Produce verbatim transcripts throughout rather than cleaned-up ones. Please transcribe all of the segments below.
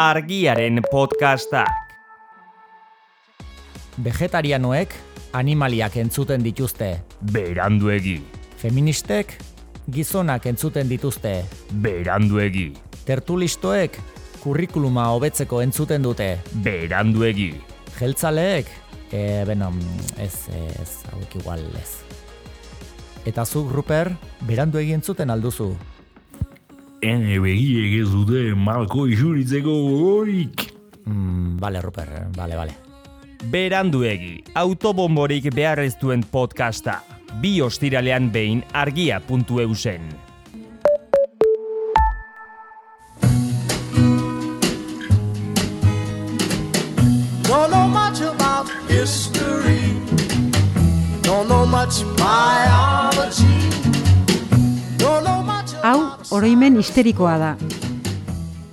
Argiaren podcastak. Vegetarianoek animaliak entzuten dituzte. Beranduegi. Feministek gizonak entzuten dituzte. Beranduegi. Tertulistoek kurrikuluma hobetzeko entzuten dute. Beranduegi. Jeltzaleek, e, beno, ez, ez, hauek igual ez. Eta zuk, Ruper, beranduegi entzuten alduzu. Ene begiek ez dute malko isuritzeko gogorik. Mm, bale, Ruper, bale, bale. Beranduegi, autobomborik behar ez duen podcasta. Bi ostiralean behin argia puntu eu zen. Don't know much about history. Don't know much biology. Don't know much Hau oroimen histerikoa da.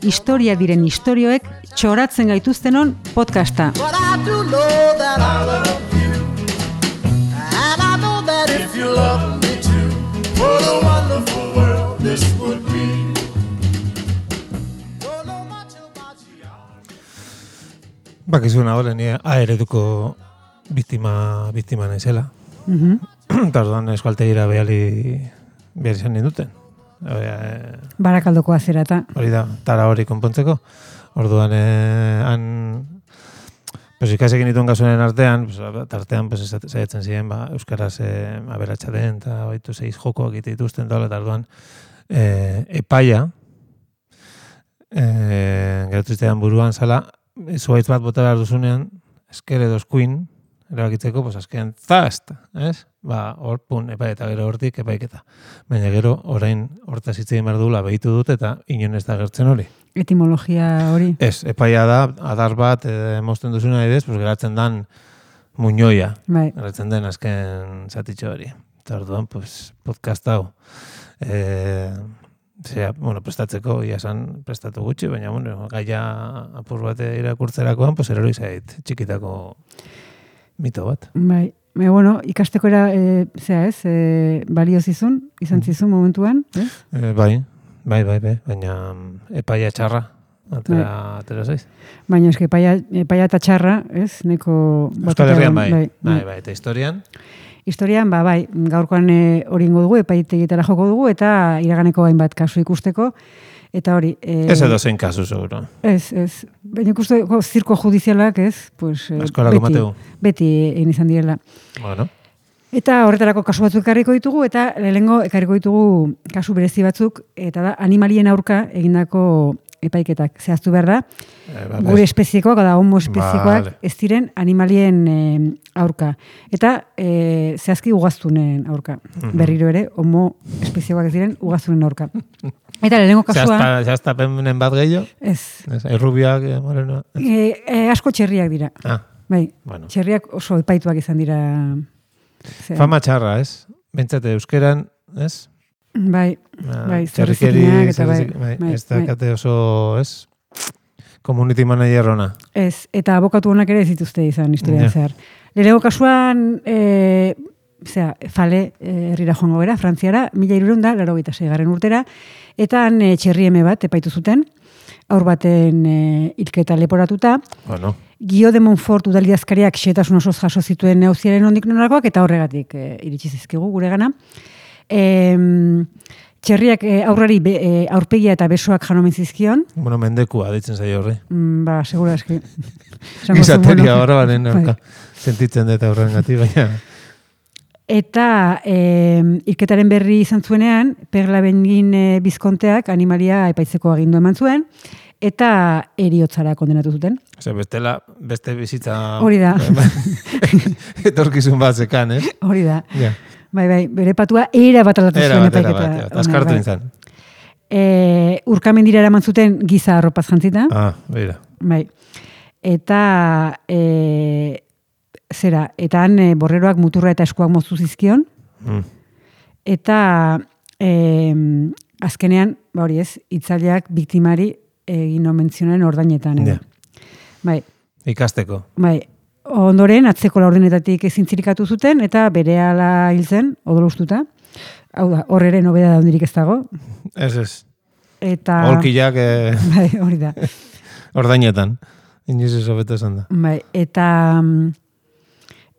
Historia diren istorioek txoratzen gaituztenon podcasta. But I do know that I love you. And I know that if you love me too, what a wonderful world this would be. Don't know much about you. Bakizuna hori, ni aereduko biktima, biktima naizela. Mhm. Eta orduan eskualtegira behali behar izan ninduten. E, Barakaldoko azerata. hori da, tara hori konpontzeko. Orduan, eh, han, pues, ikasekin dituen gasunen artean, pues, tartean pues, saiatzen ziren, ba, euskaraz eh, aberatsa den, eta baitu seiz jokoak egite dituzten, eta orduan, eh, epaia, eh, geratu buruan zala, zuaitz bat bota behar duzunean, esker edo eskuin, erabakitzeko, pues, azken zast, ez? Ba, hor, pun, epai eta gero hortik epaiketa. Baina gero, orain hortaz hitz egin behar dugula behitu dut, eta inon ez da gertzen hori. Etimologia hori. Ez, epaia da, adar bat, e, mozten duzuna edez, pues, geratzen dan muñoia. Bai. Geratzen den azken zatitxo hori. Eta orduan, pues, podcast hau. E, zera, bueno, prestatzeko, ia esan prestatu gutxi, baina, bueno, gaia apur bat irakurtzerakoan, pues, erori zait, txikitako mito bat. Bai. E, bueno, ikasteko era, e, zera ez, e, balio zizun, izan zizun momentuan, ez? E, bai, bai, bai, bai, baina epaia txarra, atera, atera zaiz. Baina eske epaia, epaia eta txarra, ez? Neko... Euskal Herrian bai, bai, bai, bai, eta historian? Historian, ba, bai, gaurkoan e, hori ingo dugu, epaitegitara joko dugu, eta iraganeko hainbat kasu ikusteko, eta hori... E, Ez edo zein kasu, seguro. Ez, ez. Baina ikusteko zirko judizialak, ez? Pues, e, Eskolako beti, mateu. beti egin izan direla. Bueno. Eta horretarako kasu batzuk ekarriko ditugu, eta lehenengo ekarriko ditugu kasu berezi batzuk, eta da animalien aurka egindako epaiketak. Zehaztu behar da, E, ba, gure espeziekoak, da homo espeziekoak, Vale. ez diren animalien e, aurka. Eta e, zehazki ugaztunen aurka. Berriro ere, homo espeziekoak ez diren ugaztunen aurka. Eta lehenengo kasua... Zehazta, zehaztapenen bat gehiago? Ez. Ez, errubiak, eh, moreno... E, e, asko txerriak dira. Ah, Bai, bueno. txerriak oso epaituak izan dira. Zera. Fama txarra, ez? Bentsate euskeran, ez? Bai, Ah, bai, txerrikeri, zerrizikinak eta bai, zerrizik- bai, bai, ez dakate oso, ez? Community manager ona. ez, eta abokatu honak ere ez dituzte izan historia Ja. zehar. Lehenengo kasuan, e, zera, fale e, herrira joango gara, Frantziara, mila hirurehun eta laurogeita seigarren urtera, eta han e, txerrieme bat epaitu zuten, aur baten e, hilketa leporatuta, Bueno, Gio de Montfort udalidazkariak xehetasun osoz jaso zituen negoziaren ondik norakoak, eta horregatik e, iritsi zizkigu gure gana. E, txerriak e, aurrari be, e, aurpegia eta besoak janomen zizkion, bueno, mendekua deitzen zaio horri. mm, ba, segura eski. Esango zuen, Gizateria bueno, horra baren bai. aurka. Sentitzen dut aurren gati, baina... Eta e, hilketaren berri izan zuenean, Perla Bengin e, bizkonteak animalia epaitzeko agindu eman zuen, eta eriotzara kondenatu zuten. Ose, bestela, beste bizitza... Hori da. Etorkizun bat zekan, eh? Hori da. Ja. Bai, bai, bere patua era bat aldatu Era zuen bat, era epaiketa. bat, ja. honek, Azkartu bai. nintzen. E, urkamendira eraman zuten giza arropaz jantzita. Ah, beira. Bai. Eta e, zera, eta han e, borreroak muturra eta eskuak moztu zizkion. Mm. Eta e, azkenean, ba hori ez, hitzaileak biktimari egin omentzionen ordainetan. Ja. Bai, Ikasteko. bai. Ondoren, atzeko laurdenetatik ezin zirikatu zuten, eta berehala hil zen, odol ustuta. Hau da, hor ere nobeda da hondirik ez dago. Ez, ez. Eta... Holkiak... Eh... Bai, hori da. ordainetan. Inoiz ez hobeto esan da. Bai, eta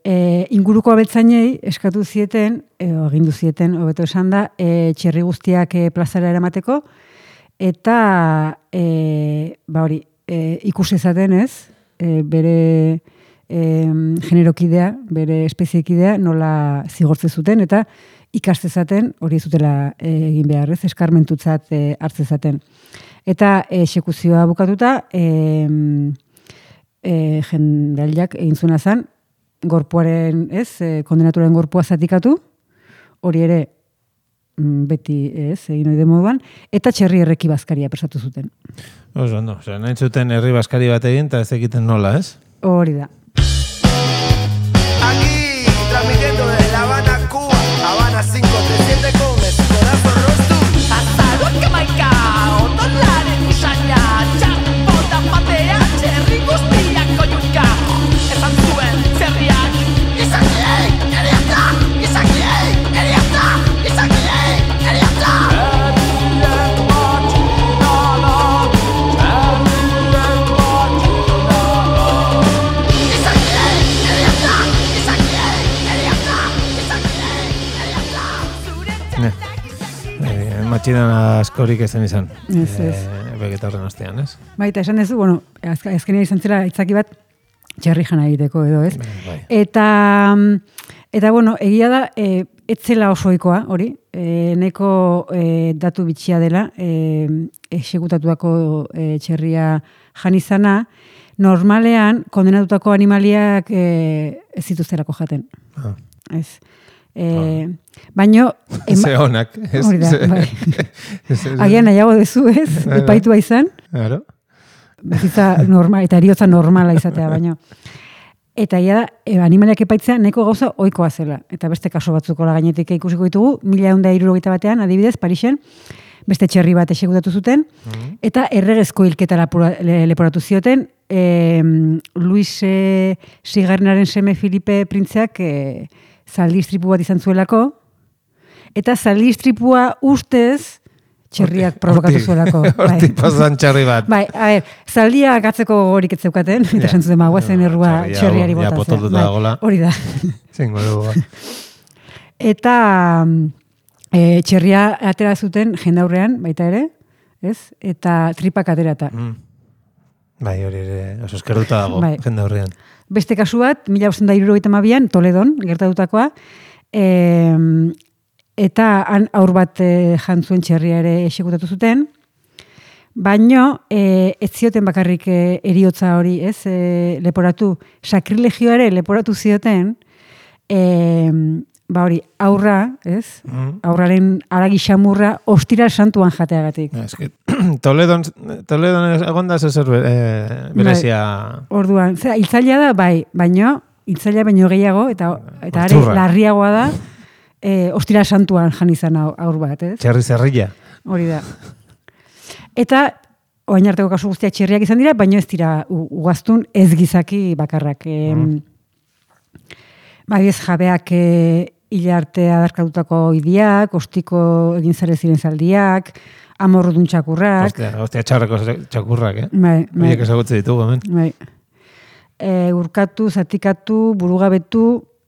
e, inguruko abeltzainei eskatu zieten, e, agindu zieten, hobeto esan da, e, txerri guztiak e, plazara eramateko, eta e, ba hori, e, ikusi zaten ez, e, bere e, generokidea, bere espeziekidea nola zigortze zuten, eta ikaste zaten hori zutela e, egin behar, ez, eskarmentutzat e, hartze zaten. Eta exekuzioa bukatuta, e, e, jendaliak egin zuena zen, gorpuaren, ez, e, kondenatuaren gorpua zatikatu, hori ere beti, ez, egin oide moduan, eta txerri erreki bazkaria prestatu zuten. Oso, no, osea, nahi zuten herri bazkari bat egin, eta ez egiten nola, ez? Hori da. Aquí, transmitiendo desde La Habana, Cuba, Habana cinco tres siete con el corazón rosto. Azalak amaika, odolaren usaina, txapota patea, txerri guztiak oiuka. Esan zuen txerriak, izakiei, eriata, izakiei, eriata, izakiei, eriata. Matxinan askorik ezen izan. Ez, ez. E, Begeta horren ostean, ez? Baita, esan dezu, bueno, azk- azkenean izan zela itzaki bat txerri jana egiteko edo, ez? Bai. Eta, eta bueno, egia da, e, ez zela osoikoa, hori, e, neko e, datu bitxia dela, e, exekutatuako e, txerria jan izana, normalean kondenatutako animaliak e, ez zituztelako jaten. Ah. Ez. E, baino... Ze honak. ez- Hori da, ze- bai. ez- ez- Agian nahiago dezu, ez? Bai, bai. Epaitua izan. Claro. Bizitza normal, eta eriotza normala izatea, baino. Eta ia da, e, animaliak epaitzea neko gauza ohikoa zela. Eta beste kaso batzuko la gainetik ikusiko ditugu, mila eunda hirurogeita batean, adibidez, Parisen, beste txerri bat exekutatu zuten, eta erregezko hilketa lapura- le- leporatu zioten, e, Luis e, Sigarrenaren seme Filipe printzeak e, zaldi istripu bat izan zuelako, eta zaldi istripua ustez txerriak provokatu zuelako. Hortik pasan txarri bat. Bai, a ber, zaldia gatzeko gogorik ez zeukaten, eta esan zuten magoazen Ja, errua txarria, txerriari ja, botatzea. potoltuta dagoela. Hori da. Zingo dugu. Eta e, txerria atera zuten jendaurrean, baita ere, ez? Eta tripak aterata. Mm. Bai, hori ere, oso eskerduta dago, Bai. jende horrean. Beste kasu bat, mila bostehun eta hirurogeita hamabian, Toledon, gertatutakoa, e, eta han aur bat e, jantzuen txerria ere exekutatu zuten, baino e, ez zioten bakarrik e, eriotza hori, ez, e, leporatu, sakrilegioa ere leporatu zioten, e, ba hori, aurra, ez, Mm. aurraren aragi xamurra ostira santuan jateagatik. Es que Toledon, Toledon egon da zer eh, berezia... Orduan, zera, hiltzailea da, bai, baino, hiltzailea baino gehiago, eta, eta are, Osturra. larriagoa da, e, ostira santuan jan izan au- aur bat, ez? Txerri zerrilla. Hori da. Eta, oain arteko kasu guztiak txerriak izan dira, baino ez dira u- ugaztun ez gizaki bakarrak. E, Bai, ez jabeak e, hila arte adarkatutako idiak, ostiko egin zare ziren zaldiak, amorrudun txakurrak. Ostia, ostia txarreko txakurrak, eh? Bai, bai. Horiek ezagutze ditugu, hemen. Bai. E, urkatu, zatikatu, burugabetu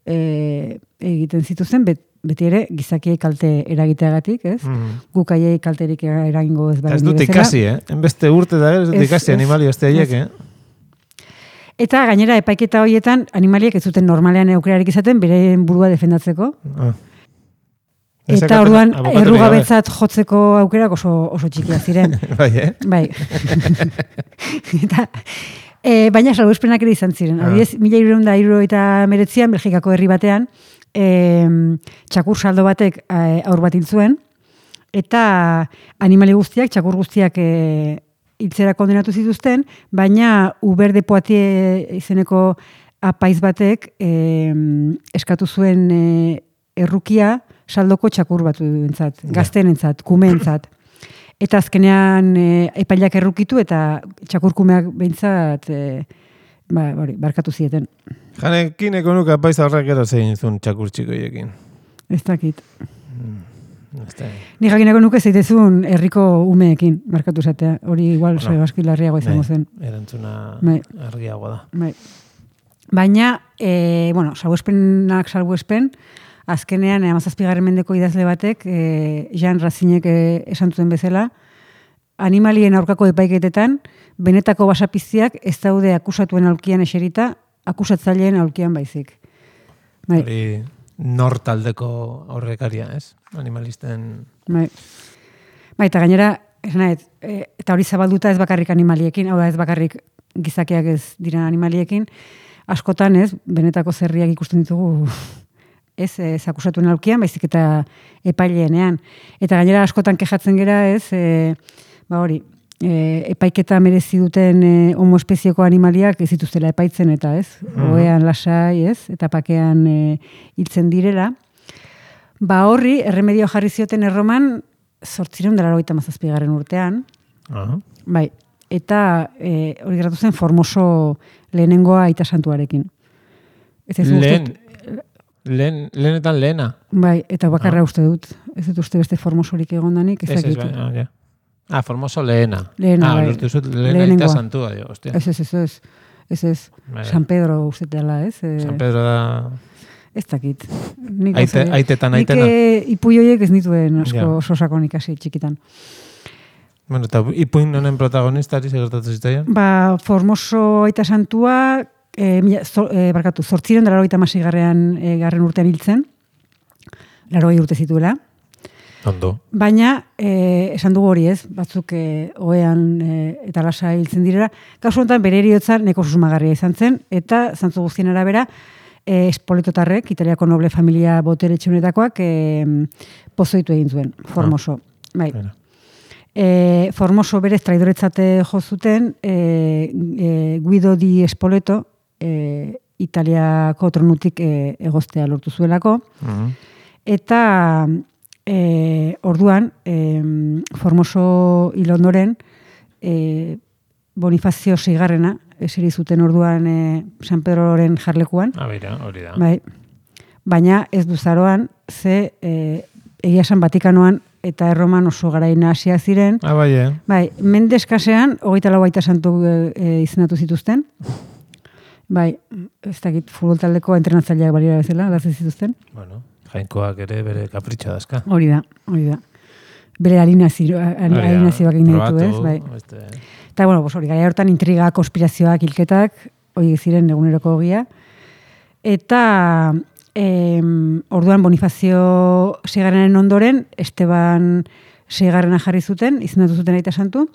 e, egiten zituzen, bet, beti ere gizakiei kalte eragiteagatik, ez? Mm. Guk haiei kalterik eragingo ez Ez baldin dut bezala. ikasi, eh? Enbeste urte da, ez dut Ez, ikasi ez, animali oste haiek, ez. eh? Eta gainera epaiketa horietan animaliek ez zuten normalean aukerarik izaten beren burua defendatzeko. Ah. Eta Ezakaten orduan abokaturik errugabetzat jotzeko aukerak oso, oso txikia ziren. gabe. Bai, eh? Bai. Eta, e, baina salbuespenak ere izan ziren. Ah. Adibidez, mila hirurehun eta hirurogeita hemeretzian, Belgikako herri batean, e, txakur saldo batek e, aur bat hil zuen, eta animali guztiak, txakur guztiak e, hiltzera kondenatu zituzten, baina Uber de Poitiers izeneko apaiz batek e, eskatu zuen e, errukia saldoko txakur batu entzat, gaztenentzat, kumeentzat. Eta azkenean e, epailak errukitu eta txakurkumeak behintzat e, ba, hori, barkatu zieten. Janekin ekonuka paiza horrek ero zein zuen txakur txikoiekin. Ez dakit. Ni jakinako nuke zeitezun herriko umeekin, markatu zatea. Hori igual no. Sebaski larriago izango zen. Erantzuna bai. argiagoa da. Bai. Baina, e, bueno, salbuespenak salbuespen, azkenean, hamazazpigarren mendeko idazle batek, e, Jean Racinek e, esan zuen bezala, animalien aurkako epaiketetan, benetako basapiztiak ez daude akusatuen aulkian eserita, akusatzaileen aulkian baizik. Bai. Hori nor taldeko aurrekaria, ez? Animalisten... Bai. Bai, eta gainera, esanet, e, eta hori zabalduta ez bakarrik animaliekin, hau da ez bakarrik gizakiak ez dira animaliekin, askotan ez, benetako zerriak ikusten ditugu ez, ez akusatuen aulkian, baizik eta epaileenean. Eta gainera askotan kejatzen gera ez, e, ba hori, e, epaiketa merezi duten e, homoespezieko animaliak ez dituztela epaitzen eta ez, mm. oean lasai ez, eta pakean e, hiltzen direla. Ba horri, erremedio jarri zioten erroman, zortzireun dela hogeita hamazazpigarren urtean. Uh-huh. Bai, eta e, hori gertatu zen Formoso lehenengoa aita santuarekin. Ez ez Lehen, uste, lehen, lehenetan lehena. bai, eta bakarra Ah. uste dut. Ez dut uste beste Formosorik egondanik, ez Ez, ez, dakit. bai, ah, ja. Ah, Formoso lehena. Lehena, ah, bai. lortu zut lehena Lehenengoa. eta santua, dio, hostia. Ez, ez, ez, ez. Ez, ez. Bai, San Pedro uste dela, ez? E, San Pedro da... Ez dakit. Nik Aite, oso- aitetan, Nik aitena. e, ipuioiek ez nituen asko Ja. oso sakon ikasi txikitan. Bueno, eta ipuin honen protagonistari segertatu zitzaian? Ba, Formoso aita santua, e, mila, zo, e, barkatu, zortziren da larogeita garren, e, garren urtean hiltzen, larogei urte zituela. Ondo. Baina, e, esan dugu hori ez, batzuk e, oean e, eta lasa hiltzen direla, kasu honetan bere heriotza neko susmagarria izan zen, eta zantzu guztien arabera, e, Espoletotarrek, Italiako noble familia botere txunetakoak, e, pozoitu egin zuen, Formoso. Bai. Bueno. E, Formoso berez traidoretzate jo zuten, e, e, Guido di Spoleto, e, Italiako tronutik e, egostea lortu zuelako, Mhm. eta e, orduan, e, Formoso hil ondoren, e, Bonifazio seigarrena, eseri zuten orduan e, San Pedroren jarlekuan, Ah, beira, hori da. bai, baina ez duzaroan, ze e, egia esan Vatikanoan eta Erroman oso garaina hasia ziren. Ah, bai, eh? Bai, Mendeskasean, hogeita lau aita santu e, e, izendatu zituzten. Bai, ez dakit futbol taldeko entrenatzaileak balira bezala, dazen zituzten. Bueno, jainkoak ere bere kapritxo dazka. Hori da, hori da. Bere alinazio, alinazioak egin ditu, ez? Bai. Beste, Eta, bueno, pues, hori, gara hortan intriga, konspirazioak, hilketak, hori ziren eguneroko ogia. Eta em, orduan Bonifazio seigarrenen ondoren, Esteban seigarrena jarri zuten, izendatu zuten aita santu,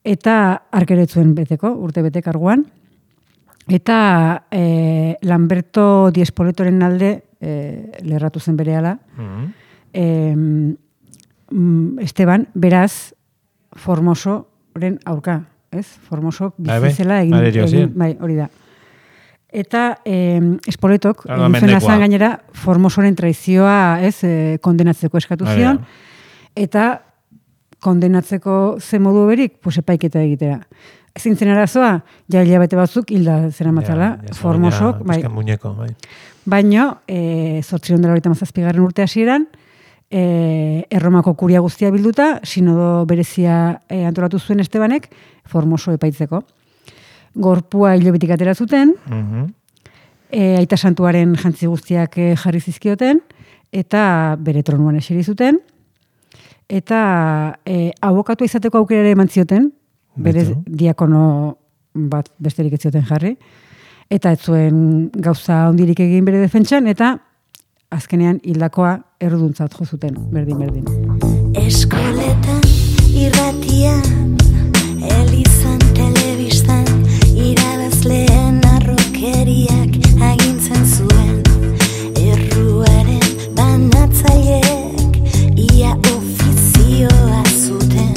eta arkeretzuen beteko, urte bete karguan. Eta e, Lamberto Di Espoletoren alde e, lerratu zen berehala. Mhm. E, Esteban, beraz, Formosoren aurka, ez? Formoso Bai, bai. bizizela egin, Bai, erio egin zien. bai, hori da. Eta eh, Espoletok, Claro, egin zuena mendekoa. zen gainera, Formosoren traizioa, ez, eh, kondenatzeko eskatu Bai, zion, bai. eta kondenatzeko ze modu berik, pues epaiketa egitera. Ezin zen arazoa, ja hilabete batzuk hilda zera matzala, Ja, ja, Formosok, ja, bai. pizka muñeko, bai. Baino, e, zortziron dela horita mazazpigarren urte hasieran, e, Erromako kuria guztia bilduta, sinodo berezia e, antolatu zuen Estebanek, Formoso epaitzeko. Gorpua hilobetik atera zuten, Mhm. e, aita santuaren jantzi guztiak e, jarri zizkioten, eta bere tronuan eseri zuten, eta e, abokatua izateko aukera ere eman zioten, berez Beitu. diakono bat besterik ez zioten jarri, eta ez zuen gauza ondirik egin bere defentsan, eta azkenean hildakoa erruduntzat jo zuten, berdin-berdin. Eskoletan, irratian, elizan, telebistan, irabazleen arrokeriak agintzen zuen. Erruaren banatzaileek ia ofizioa zuten,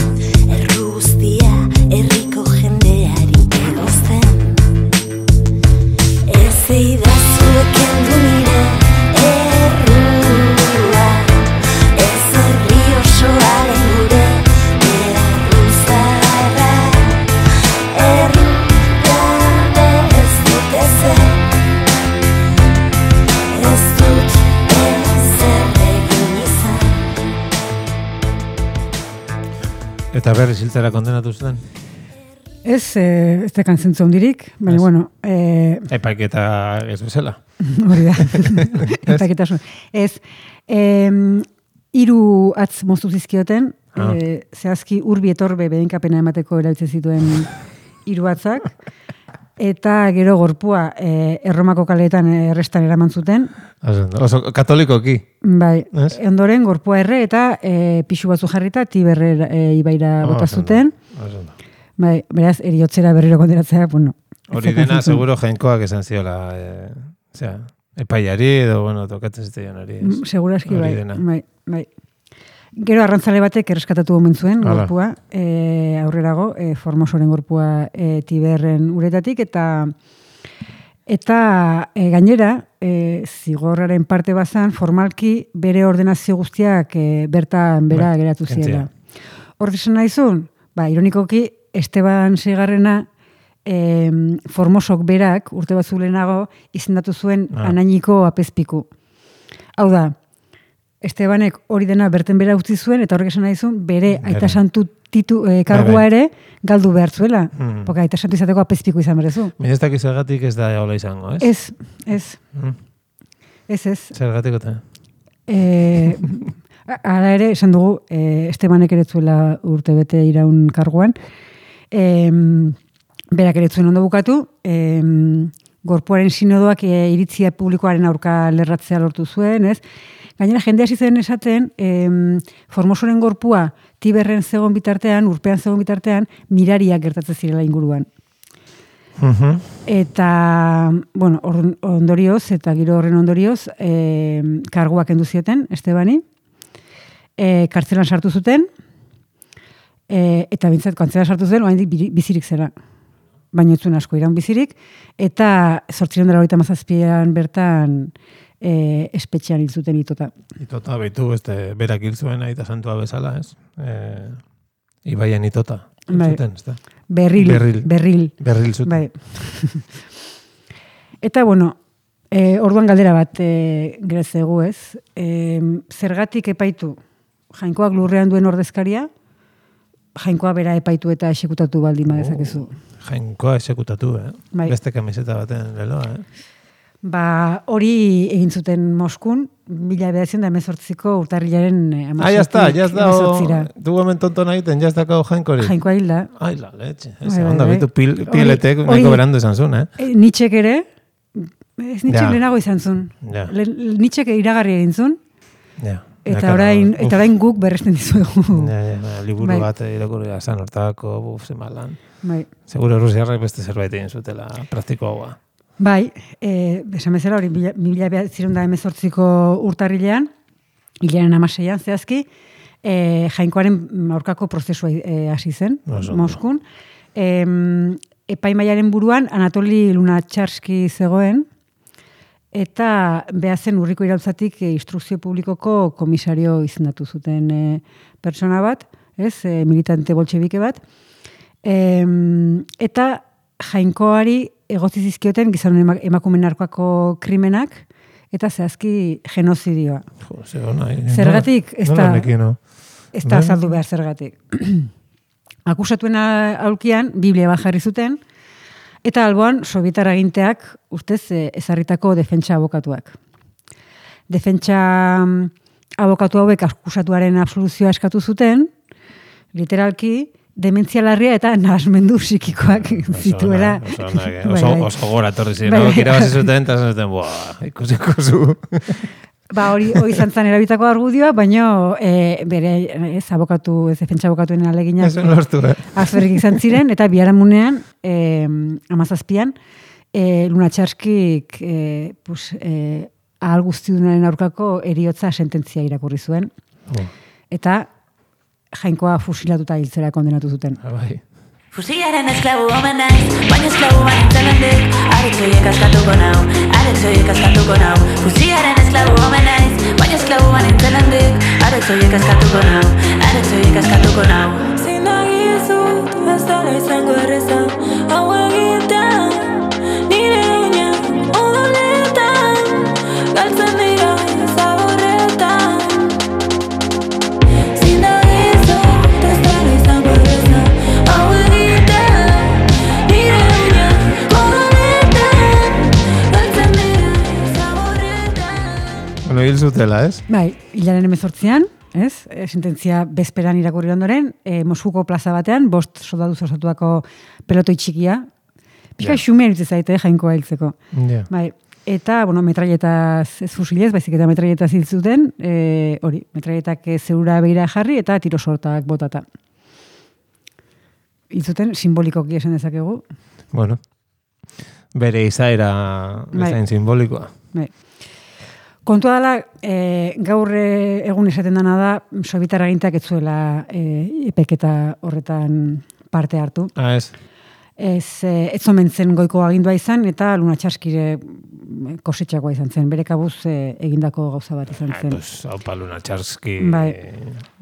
erru guztia herriko jendeari egozten. Ez eidazuek kendu nire errua, ez herri osoaren gure erruza Eta berriz hiltzera kondenatu zuten? Ez, eh, ez tekan zentzu hondirik, baina, Ez. bueno... Eh, Epaiketa ez bezala. hori da. Epaiketa zuen. Ez, eh, hiru atz moztu zizkioten, Ah. eh, zehazki urbi etorbe bedenkapena emateko erabiltzen zituen hiru atzak, eta gero gorpua eh, Erromako kaleetan errestan eraman zuten. Oso, oso katolikoki. Bai, Ez? ondoren gorpua erre eta e, pixu batzu jarrita Tiberre e, ibaira bota Oso ondo, zuten. oso ondo. Bai, beraz, eriotzera berriro kondenatzea, bueno. Hori dena, seguro jainkoak esan ziola, eh, osea, epaiari edo, bueno, tokatzen zitzaion hori. ez? Seguraski, Hori bai, dena. bai, bai. Gero arrantzale batek erreskatatu omen zuen Hala. gorpua, e, aurrerago, e, Formosoren gorpua e, Tiberren uretatik, eta eta e, gainera, e, zigorraren parte bazan, formalki bere ordenazio guztiak e, bertan bera Bai, geratu kentzea. ziela. Hor esan nahizun, ba, ironikoki, Esteban Seigarrena e, Formosok berak, urte batzu lehenago, izendatu zuen Ah. anainiko apezpiku. Hau da, Estebanek hori dena berten bera utzi zuen, eta horrek esan nahi zuen, bere Bere. aita santu titu, e, kargua Bai, bai. ere galdu behar zuela. Mm. Porque aita santu izateko apezpiku izan berezu. Baina ez dakiz zergatik ez da hola izango, ez? Ez, ez, Mm. ez, ez. Zergatik eta. E, Hala ere, esan dugu, e, Estebanek ere zuela urte bete iraun karguan. E, berak ere zuen ondo bukatu, e, gorpuaren sinodoak e, iritzia publikoaren aurka lerratzea lortu zuen, ez? Gainera, jende hasi zen esaten, em, Formosoren gorpua Tiberren zegoen bitartean, urpean zegoen bitartean, mirariak gertatzen zirela inguruan. Mhm. Eta, bueno, or- ondorioz, eta giro horren ondorioz, em, karguak kendu zioten, Estebani, e, kartzelan sartu zuten, e, eta bintzat, kartzelan sartu zuten, oraindik biri- bizirik zera. Baina ez zuen asko iraun bizirik, eta zortziehun eta laurogeita hamazazpian bertan e, espetxean hil zuten itota. Itota behitu, beste berak hil zuen aita santua bezala, ez? E, Ibaian itota. Hil Bai. zuten, ez da? Berril, Berril. berril. Berril zuten. Bai. Eta, bueno, e, orduan galdera bat e, gerezegu, ez? E, zergatik epaitu jainkoak lurrean duen ordezkaria, jainkoa bera epaitu eta esekutatu baldin badezakezu. Jainkoa esekutatu, eh? Bai. Beste kamiseta baten leloa, eh? Ba, hori egin zuten Moskun, mila bederatziehun eta hemezortziko urtarrilaren Ah, ya está, ya está. hemezortzira. Tu hemen tonton egiten, ya está kao jainkorik. Jainkoa hilda. Ai, la leche. Bai, Esa bai, onda, bai. bitu pil, Hori- piletek hori- nahiko berandu izan zuen, eh? E, Nietzschek ere, ez Nietzschek Ja. lehenago izan zuen. Ja. Le, Nietzschek iragarri egin zuen, Ja. eta Ja, orain, claro, eta orain guk berresten dizuegu. Ja, ja, ja, liburu Bai. bat irakurri zan hortako, buf, zemalan. Bai. Seguro Rusiarrek beste zerbait egin zutela praktikoagoa. Bai, e, esan bezala hori, mila mila bederatziehun eta hemezortziko urtarrilean, hilaren hamaseian zehazki, e, jainkoaren aurkako prozesua e, hasi zen, Oso ondo. Moskun. E, epaimaiaren buruan Anatoli Lunatxarski zegoen, eta behazen urriko irautzatik e, instrukzio publikoko komisario izendatu zuten e, pertsona bat, ez, e, militante boltxebike bat, e, eta jainkoari egotzi zizkioten gizanon ema- emakumeen aurkako krimenak, eta zehazki genozidioa. Jo, ze ona. eh? Zergatik, ez Nola da- nekien, no? Ez da Bai. azaldu behar zergatik. Akusatuen aulkian, Biblia bat jarri zuten, eta alboan sobietar aginteak ustez eh, ezarritako defentsa abokatuak. Defentsa mm, abokatu hauek akusatuaren absoluzioa eskatu zuten, literalki, dementzia larria eta nahasmendu psikikoak zituela. Oso ona, eh? Bai, oso, bai. oso gora torri ziren, Bai, no? bai. Kirabazi zuten, eta esan zuten, buah, ikusiko zu. Ba, hori hori izan zen erabitako argudioa, baina e, bere ez abokatu, ez defentsa abokatuen aleginak Ezen lortu, eh? azberrik izan ziren, eta biharamunean, e, amazazpian, e, Lunatxarskik e, pues, e, ahal guztiunaren aurkako eriotza sententzia irakurri zuen, Oh, eta jainkoa fusilatuta hiltzera kondenatu zuten. bai. Fusilaren esklabu omen naiz, baina esklabu banintzen hendik. Arek zoiek askatuko nau, arek zoiek askatuko nau. Fusilaren esklabu omen naiz, baina esklabu banintzen hendik. Arek zoiek askatuko nau, arek zoiek askatuko nau. Zin dagizut, ez dara izango erreza, hau egitea, nire uñak odoletan, galtzen dira zaborretan. Zin dagizut, ez dara izango zutela, ez? Bai, hilaren emezortzian, ez? E, sententzia bezperan irakurri ondoren, e, Moskuko plaza batean, bost soldaduz osatuako pelotoi txikia, pixka Ja. xume eritze zaite, jainkoa hiltzeko. Ja. Bai, eta, bueno, metralletaz ez fusilez, baizik eta metralletaz hil zuten, e, hori, metralletak zeura begira jarri eta tirosortak botata. Hil zuten, simbolikoki esan dezakegu. Bueno, bere izaera Bai. bezain simbolikoa. Bai. Kontua dela, e, gaur e, egun esaten dana da, sobietar agintak ez zuela e, epeketa horretan parte hartu. Ah, ez? Ez, e, ez omen zen goiko agindua izan, eta Luna Txaskire kosetxakoa izan zen. Bere kabuz e, egindako gauza bat izan Ah, zen. pues, haupa Luna Txarski Bai.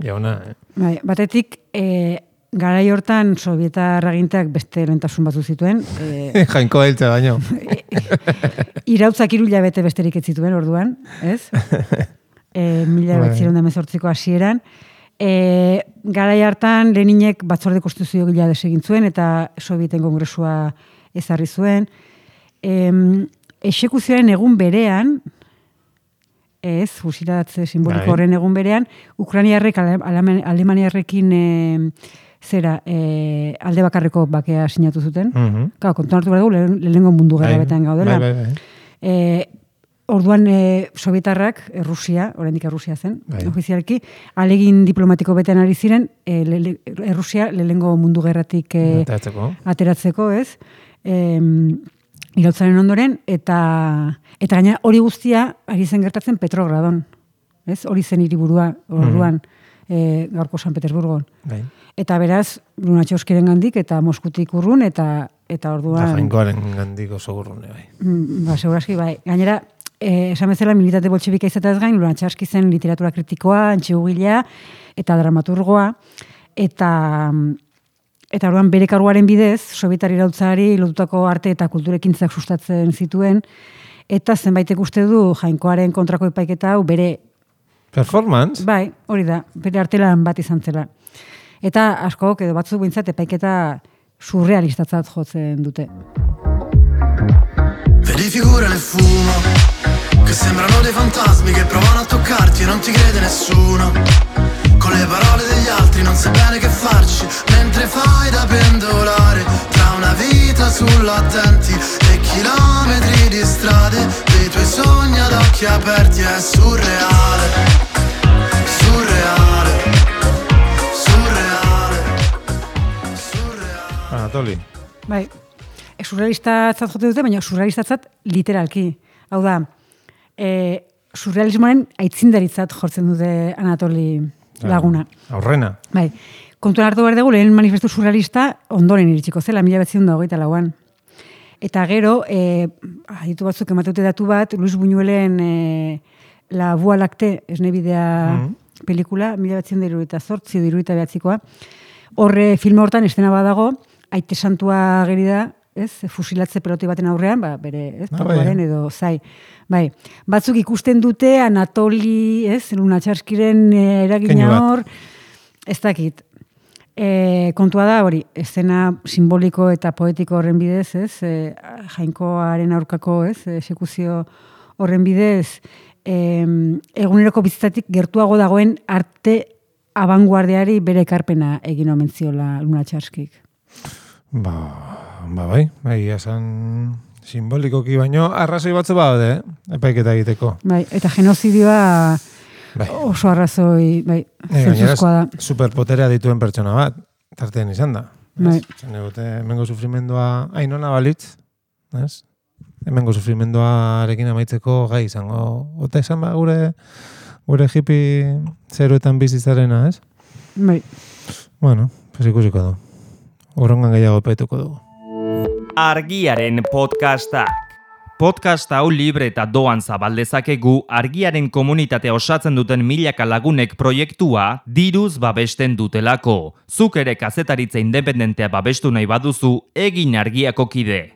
jauna. Eh? Bai, batetik, e, garai hortan sobietar agintak beste lehentasun batzu zituen. E, Jainkoa hiltza baino. irautzak hiru hilabete besterik ez zituen orduan, ez? E, mila behatziehun eta hemezortziko hasieran. E, garai hartan Leninek batzorde konstituzio gila desegin zuen eta Sobieten kongresua ezarri zuen. E, exekuzioaren egun berean, ez, fusilatze simboliko Bai. horren egun berean, Ukrainiarrek Ale- Alema- Alemaniarrekin e, zera, e, alde bakarreko bakea sinatu zuten. Mhm. Claro, kontuan hartu behar dugu, lehen- lehenengo mundu gerra Bai, betean gaudela. Bai, bai, bai. E, orduan e, Sobietarrak, Errusia, oraindik Errusia zen, Bai. ofizialki, alegin diplomatiko betean ari ziren, e, le, le, Errusia lehenengo mundu gerratik e, Ateratzeko. ateratzeko, ez? E, irautzaren ondoren, eta eta gaina hori guztia ari zen gertatzen Petrogradon, ez? Hori zen hiriburua orduan, e, gaurko San Petersburgon. Bai. Eta beraz, Lunatxoskiren gandik eta Moskutik urrun, eta eta Eta orduan... jainkoaren gandik oso gurrune, bai. Mm, Ba, segurazki, bai. Gainera, eh, esan bezala militate boltxebika izatez gain, Lunatxaski zen literatura kritikoa, antxegugilea eta dramaturgoa, eta eta orduan bere karguaren bidez, sobietar irautzari lotutako arte eta kulturekintzak sustatzen zituen, eta zenbaitek uste du jainkoaren kontrako epaiketa hau bere, Performance? bai, hori da, bere artelan bat izan zela. Eta askok edo batzuk behintzat epaiketa surrealistatzat jotzen dute. Vedi figure nel fumo che sembrano dei fantasmi che provano a toccarti e non ti crede nessuno. Con le parole degli altri non sai bene che farci mentre fai da pendolare tra una vita sull'attenti e chilometri di strade dei tuoi sogni ad occhi aperti. È surreale, surreale, surreale, surreale. Anatoli. Bai, e, surrealistatzat jote dute, baina surrealistatzat literalki. Hau da, e, surrealismoaren aitzindaritzat jortzen dute Anatoli Laguna. Aurrena. Bai, kontuan hartu behar dugu, lehen manifestu surrealista ondoren iritsiko zela, mila behatziehun eta hogeita lauan. Eta gero, e, aditu batzuk emateute datu bat, Luis Buñuelen e, La Voie Lactée, esnebidea Mhm. pelikula, mila behatziehun eta hirurogeita zortzi, hirurogeita behatzikoa. Horre filme hortan estena badago, aite santua ageri da, ez, fusilatze peloti baten aurrean, ba, bere, ez, Ah, tatuaren bai. edo zai. Bai, batzuk ikusten dute Anatoli, ez, Lunatxaskiren e, eragina Keinu bat. hor, ez dakit. E, kontua da hori, escena simboliko eta poetiko horren bidez, ez, e, jainkoaren aurkako, ez, exekuzio horren bidez, e, eguneroko bizitatik gertuago dagoen arte abanguardiari bere ekarpena egin omen ziola Lunatxaskik. Ba, ba bai, bai, esan simbolikoki baino, arrazoi batzu baude, eh? Epaiketa egiteko. Bai, eta genozidioa Bai. oso arrazoi, bai, Eh, gainera, zentzuzkoa da. superpoterea dituen pertsona bat, tartean izan da. Bai. Zen egute, hemengo sufrimendua ainona balitz, ez? Hemengo sufrimenduarekin amaitzeko gai izango. Ota esan ba, gure, gure hippie zeruetan bizitzarena, ez? Bai. Bueno, pues ikusiko du. Urrongan gehiago epaituko dugu. Argiaren podcastak. Podcast hau libre eta doan zabaldezakegu Argiaren komunitatea osatzen duten milaka lagunek proiektua diruz babesten dutelako. Zuk ere kazetaritza independentea babestu nahi baduzu, egin Argiako kide.